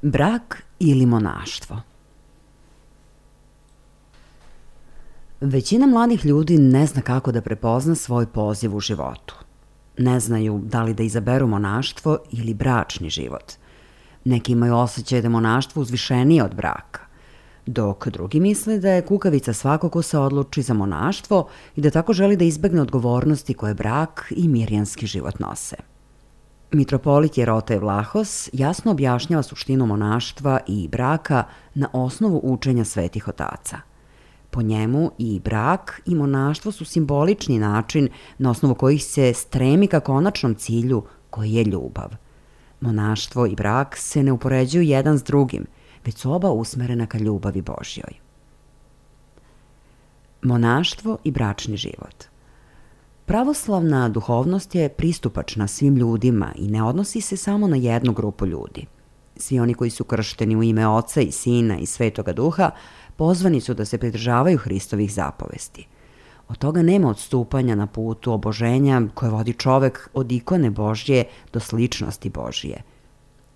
Brak ili monaštvo? Većina mladih ljudi ne zna kako da prepozna svoj poziv u životu. Ne znaju da li da izaberu monaštvo ili bračni život. Neki imaju osjećaj da je monaštvo uzvišenije od braka, dok drugi misle da je kukavica svako ko se odluči za monaštvo i da tako želi da izbegne odgovornosti koje brak i mirjanski život nose. Mitropolit Jerote Vlahos jasno objašnjava suštinu monaštva i braka na osnovu učenja svetih otaca. Po njemu i brak i monaštvo su simbolični način na osnovu kojih se stremi ka konačnom cilju koji je ljubav. Monaštvo i brak se ne upoređuju jedan s drugim, već su oba usmerena ka ljubavi Božjoj. Monaštvo i bračni život. Pravoslavna duhovnost je pristupačna svim ljudima i ne odnosi se samo na jednu grupu ljudi. Svi oni koji su kršteni u ime Oca i Sina i Svetoga Duha pozvani su da se pridržavaju Hristovih zapovesti. Od toga nema odstupanja na putu oboženja koje vodi čovek od ikone Božje do sličnosti Božje.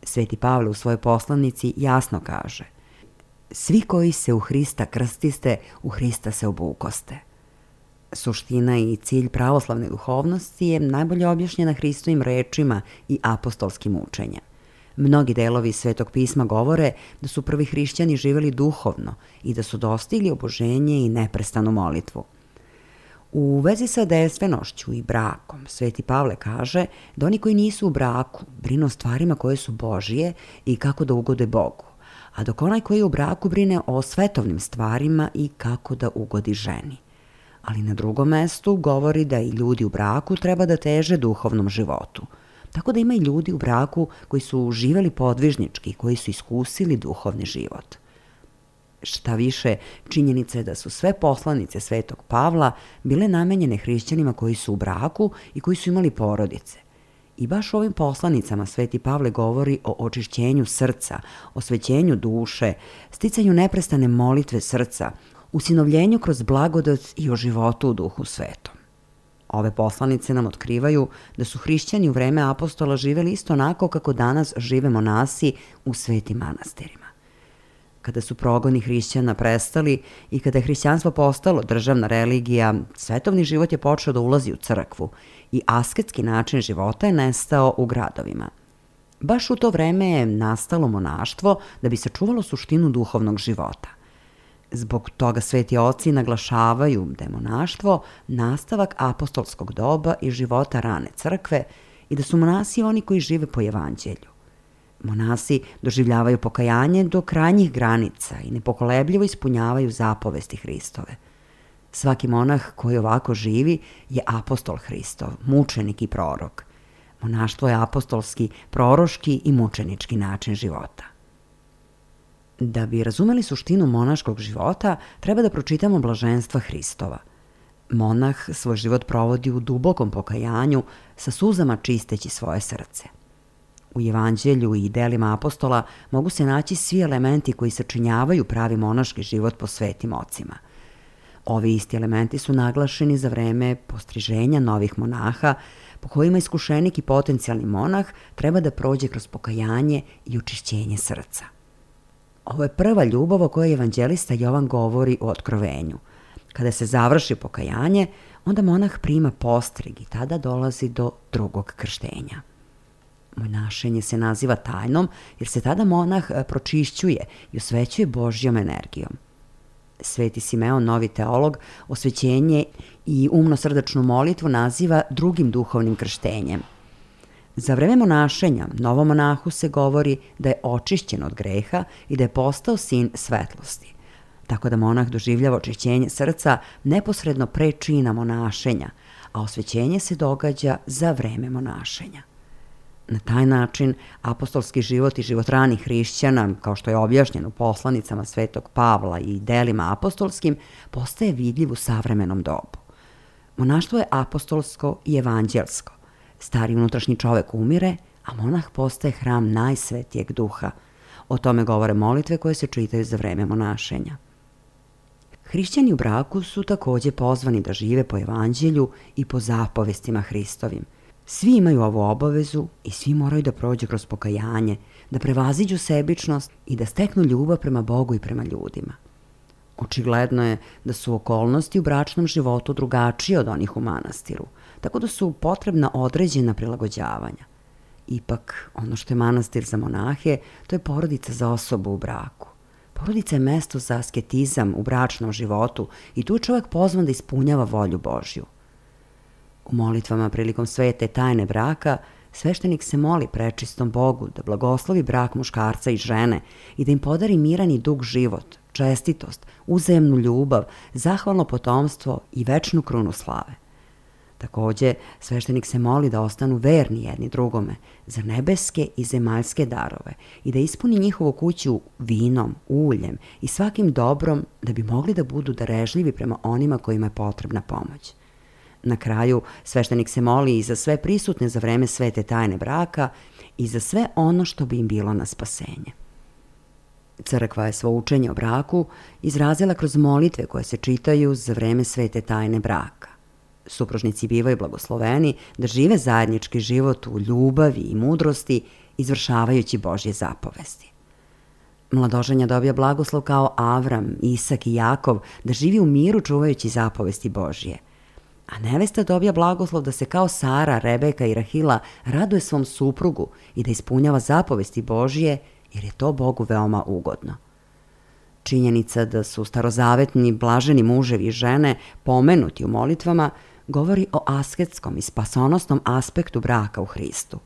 Sveti Pavle u svojoj poslanici jasno kaže: svi koji se u Hrista krstiste, u Hrista se obukoste. Suština i cilj pravoslavne duhovnosti je najbolje objašnjena Hristovim rečima i apostolskim učenjem. Mnogi delovi Svetog pisma govore da su prvi hrišćani živeli duhovno i da su dostigli oboženje i neprestanu molitvu. U vezi sa dejstvenošću i brakom, Sveti Pavle kaže da oni koji nisu u braku brinu o stvarima koje su Božije i kako da ugode Bogu, a dok onaj koji je u braku brine o svetovnim stvarima i kako da ugodi ženi. Ali na drugom mestu govori da i ljudi u braku treba da teže duhovnom životu. Tako da ima i ljudi u braku koji su živeli podvižnički, koji su iskusili duhovni život. Šta više, činjenica je da su sve poslanice Svetog Pavla bile namenjene hrišćanima koji su u braku i koji su imali porodice. I baš u ovim poslanicama Sveti Pavle govori o očišćenju srca, osvećenju duše, sticanju neprestane molitve srca, usinovljenju kroz blagodat i o životu u Duhu Svetom. Ove poslanice nam otkrivaju da su hrišćani u vreme apostola živeli isto onako kako danas žive monasi u svetim manastirima. Kada su progoni hrišćana prestali i kada je hrišćanstvo postalo državna religija, svetovni život je počeo da ulazi u crkvu i asketski način života je nestao u gradovima. Baš u to vreme je nastalo monaštvo da bi sačuvalo suštinu duhovnog života. Zbog toga sveti oci naglašavaju da je monaštvo nastavak apostolskog doba i života rane crkve i da su monasi oni koji žive po evanđelju. Monasi doživljavaju pokajanje do krajnjih granica i nepokolebljivo ispunjavaju zapovesti Hristove. Svaki monah koji ovako živi je apostol Hristov, mučenik i prorok. Monaštvo je apostolski, proroški i mučenički način života. Da bi razumeli suštinu monaškog života, treba da pročitamo blaženstva Hristova. Monah svoj život provodi u dubokom pokajanju, sa suzama čisteći svoje srce. U evanđelju i delima apostola mogu se naći svi elementi koji sačinjavaju pravi monaški život po svetim ocima. Ovi isti elementi su naglašeni za vreme postriženja novih monaha, po kojima iskušenik i potencijalni monah treba da prođe kroz pokajanje i očišćenje srca. Ovo je prva ljubav o kojoj evanđelista Jovan govori u Otkrovenju. Kada se završi pokajanje, onda monah prima postrig i tada dolazi do drugog krštenja. Monašenje se naziva tajnom jer se tada monah pročišćuje i osvećuje Božjom energijom. Sveti Simeon, novi teolog, osvećenje i umno-srdačnu molitvu naziva drugim duhovnim krštenjem. Za vreme monašenja novom monahu se govori da je očišćen od greha i da je postao sin svetlosti. Tako da monah doživljava očišćenje srca neposredno pre čina monašenja, a osvećenje se događa za vreme monašenja. Na taj način, apostolski život i život ranih hrišćana, kao što je objašnjeno u poslanicama Svetog Pavla i delima apostolskim, postaje vidljiv u savremenom dobu. Monaštvo je apostolsko i evanđelsko. Stari unutrašnji čovek umire, a monah postaje hram najsvetijeg duha. O tome govore molitve koje se čitaju za vreme monašenja. Hrišćani u braku su takođe pozvani da žive po evanđelju i po zapovestima Hristovim. Svi imaju ovu obavezu i svi moraju da prođu kroz pokajanje, da prevaziđu sebičnost i da steknu ljubav prema Bogu i prema ljudima. Očigledno je da su okolnosti u bračnom životu drugačije od onih u manastiru, tako da su potrebna određena prilagođavanja. Ipak, ono što je manastir za monahe, to je porodica za osobu u braku. Porodica je mesto za asketizam u bračnom životu i tu je čovjek pozvan da ispunjava volju Božju. U molitvama prilikom svete tajne braka, sveštenik se moli prečistom Bogu da blagoslovi brak muškarca i žene i da im podari miran i dug život, čestitost, uzajemnu ljubav, zahvalno potomstvo i večnu krunu slave. Takođe, sveštenik se moli da ostanu verni jedni drugome za nebeske i zemaljske darove i da ispuni njihovu kuću vinom, uljem i svakim dobrom da bi mogli da budu darežljivi prema onima kojima je potrebna pomoć. Na kraju, sveštenik se moli i za sve prisutne za vreme svete tajne braka i za sve ono što bi im bilo na spasenje. Crkva je svo učenje o braku izrazila kroz molitve koje se čitaju za vreme svete tajne braka. Supružnici bivaju blagosloveni da žive zajednički život u ljubavi i mudrosti, izvršavajući Božje zapovesti. Mladoženja dobija blagoslov kao Avram, Isak i Jakov da živi u miru čuvajući zapovesti Božje. A nevesta dobija blagoslov da se kao Sara, Rebeka i Rahila raduje svom suprugu i da ispunjava zapovesti Božje, jer je to Bogu veoma ugodno. Činjenica da su starozavetni blaženi muževi i žene pomenuti u molitvama govori o asketskom i spasonosnom aspektu braka u Hristu.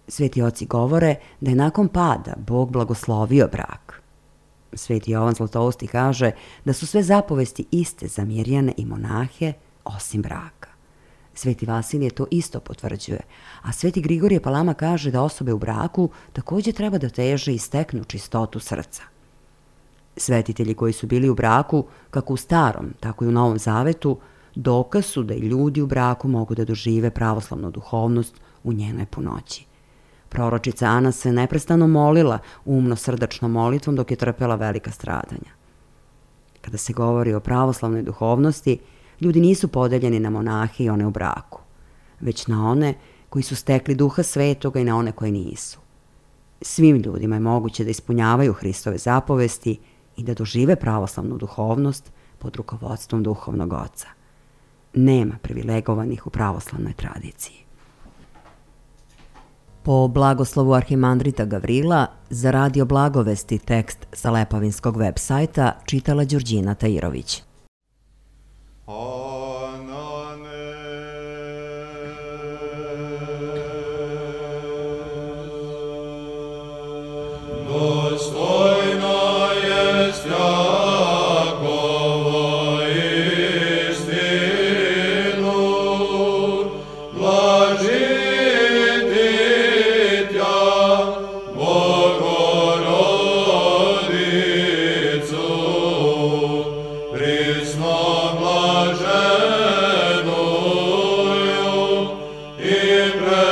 Sveti oci govore da je nakon pada Bog blagoslovio brak. Sveti Jovan Zlatousti kaže da su sve zapovesti iste za mirjane i monahe, osim braka. Sveti Vasilije to isto potvrđuje, a sveti Grigorije Palama kaže da osobe u braku takođe treba da teže i steknu čistotu srca. Svetitelji koji su bili u braku, kako u Starom, tako i u Novom Zavetu, dokaz su da i ljudi u braku mogu da dožive pravoslavnu duhovnost u njenoj punoći. Proročica Ana se neprestano molila umno-srdačnom molitvom dok je trpela velika stradanja. Kada se govori o pravoslavnoj duhovnosti, ljudi nisu podeljeni na monahe i one u braku, već na one koji su stekli duha svetoga i na one koji nisu. Svim ljudima je moguće da ispunjavaju Hristove zapovesti i da dožive pravoslavnu duhovnost pod rukovodstvom duhovnog oca. Nema privilegovanih u pravoslavnoj tradiciji. Po blagoslovu arhimandrita Gavrila, za Radio Blagovesti tekst sa Lepavinskog web sajta čitala Đurđina Tajirović. Ibre